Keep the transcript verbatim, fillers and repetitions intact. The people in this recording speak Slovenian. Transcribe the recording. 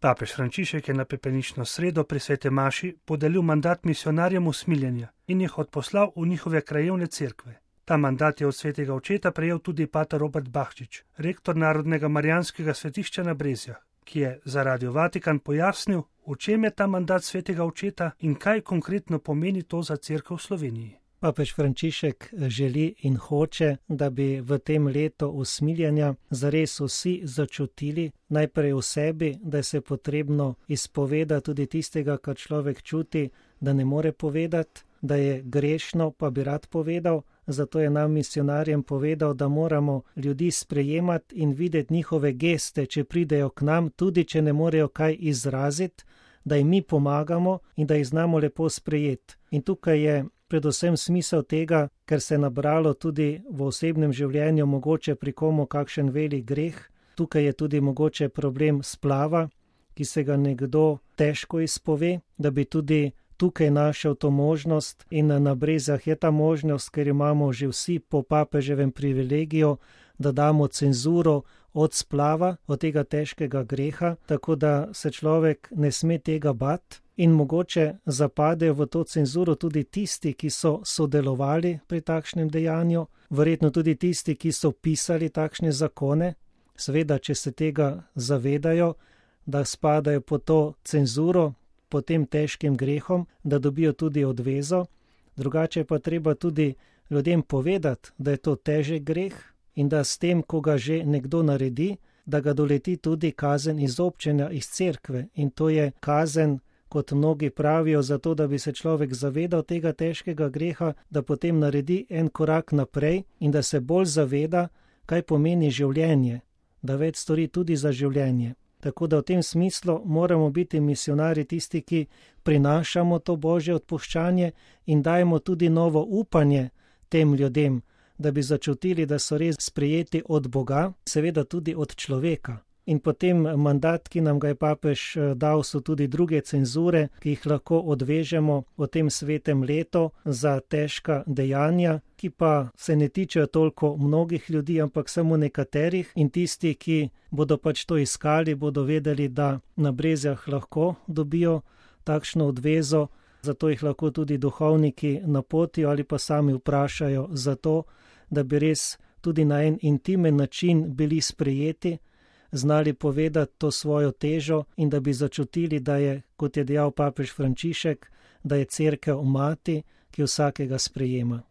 Papež Frančišek je na pepelnično sredo pri sveti maši podelil mandat misionarjem usmiljenja in jih odposlal v njihove krajevne cerkve. Ta mandat je od svetega očeta prejel tudi pater Robert Bahčič, rektor Narodnega marijanskega svetišča na Brezjah, ki je za Radio Vatikan pojasnil, v čem je ta mandat svetega očeta in kaj konkretno pomeni to za cerkev v Sloveniji. Papež Frančišek želi in hoče, da bi v tem letu usmiljenja zares vsi začutili najprej v sebi, da se je potrebno izpovedati tudi tistega, kar človek čuti, da ne more povedati, da je grešno, pa bi rad povedal. Zato je nam misionarjem povedal, da moramo ljudi sprejemati in videti njihove geste, če pridejo k nam, tudi če ne morejo kaj izraziti, da jim mi pomagamo in da jih znamo lepo sprejeti. In tukaj je predvsem smisel tega, ker se je nabralo tudi v osebnem življenju mogoče pri komu kakšen velik greh. Tukaj je tudi mogoče problem splava, ki se ga nekdo težko izpove, da bi tudi tukaj našel to možnost in na Brezjah je ta možnost, ker imamo že vsi po papeževem privilegiju, da damo cenzuro od splava, od tega težkega greha, tako da se človek ne sme tega bati. In mogoče zapadejo v to cenzuro tudi tisti, ki so sodelovali pri takšnem dejanju, verjetno tudi tisti, ki so pisali takšne zakone, seveda, če se tega zavedajo, da spadajo po to cenzuro, po tem težkim grehom, da dobijo tudi odvezo. Drugače pa treba tudi ljudem povedati, da je to težek greh in da s tem, ko ga že nekdo naredi, da ga doleti tudi kazen izobčenja iz cerkve. In to je kazen, kot mnogi pravijo, zato da bi se človek zavedal tega težkega greha, da potem naredi en korak naprej in da se bolj zaveda, kaj pomeni življenje, da več stori tudi za življenje. Tako da v tem smislu moramo biti misionarji tisti, ki prinašamo to božje odpuščanje in dajemo tudi novo upanje tem ljudem, da bi začutili, da so res sprejeti od Boga, seveda tudi od človeka. In potem mandat, ki nam ga je papež dal, so tudi druge cenzure, ki jih lahko odvežemo v tem svetem letu za težka dejanja, ki pa se ne tičejo toliko mnogih ljudi, ampak samo nekaterih. In tisti, ki bodo pač to iskali, bodo vedeli, da na Brezjah lahko dobijo takšno odvezo, zato jih lahko tudi duhovniki napotijo ali pa sami vprašajo za to, da bi res tudi na en intimen način bili sprejeti, znali povedati to svojo težo in da bi začutili, da je, kot je dejal papež Frančišek, da je cerkev mati, ki vsakega sprejema.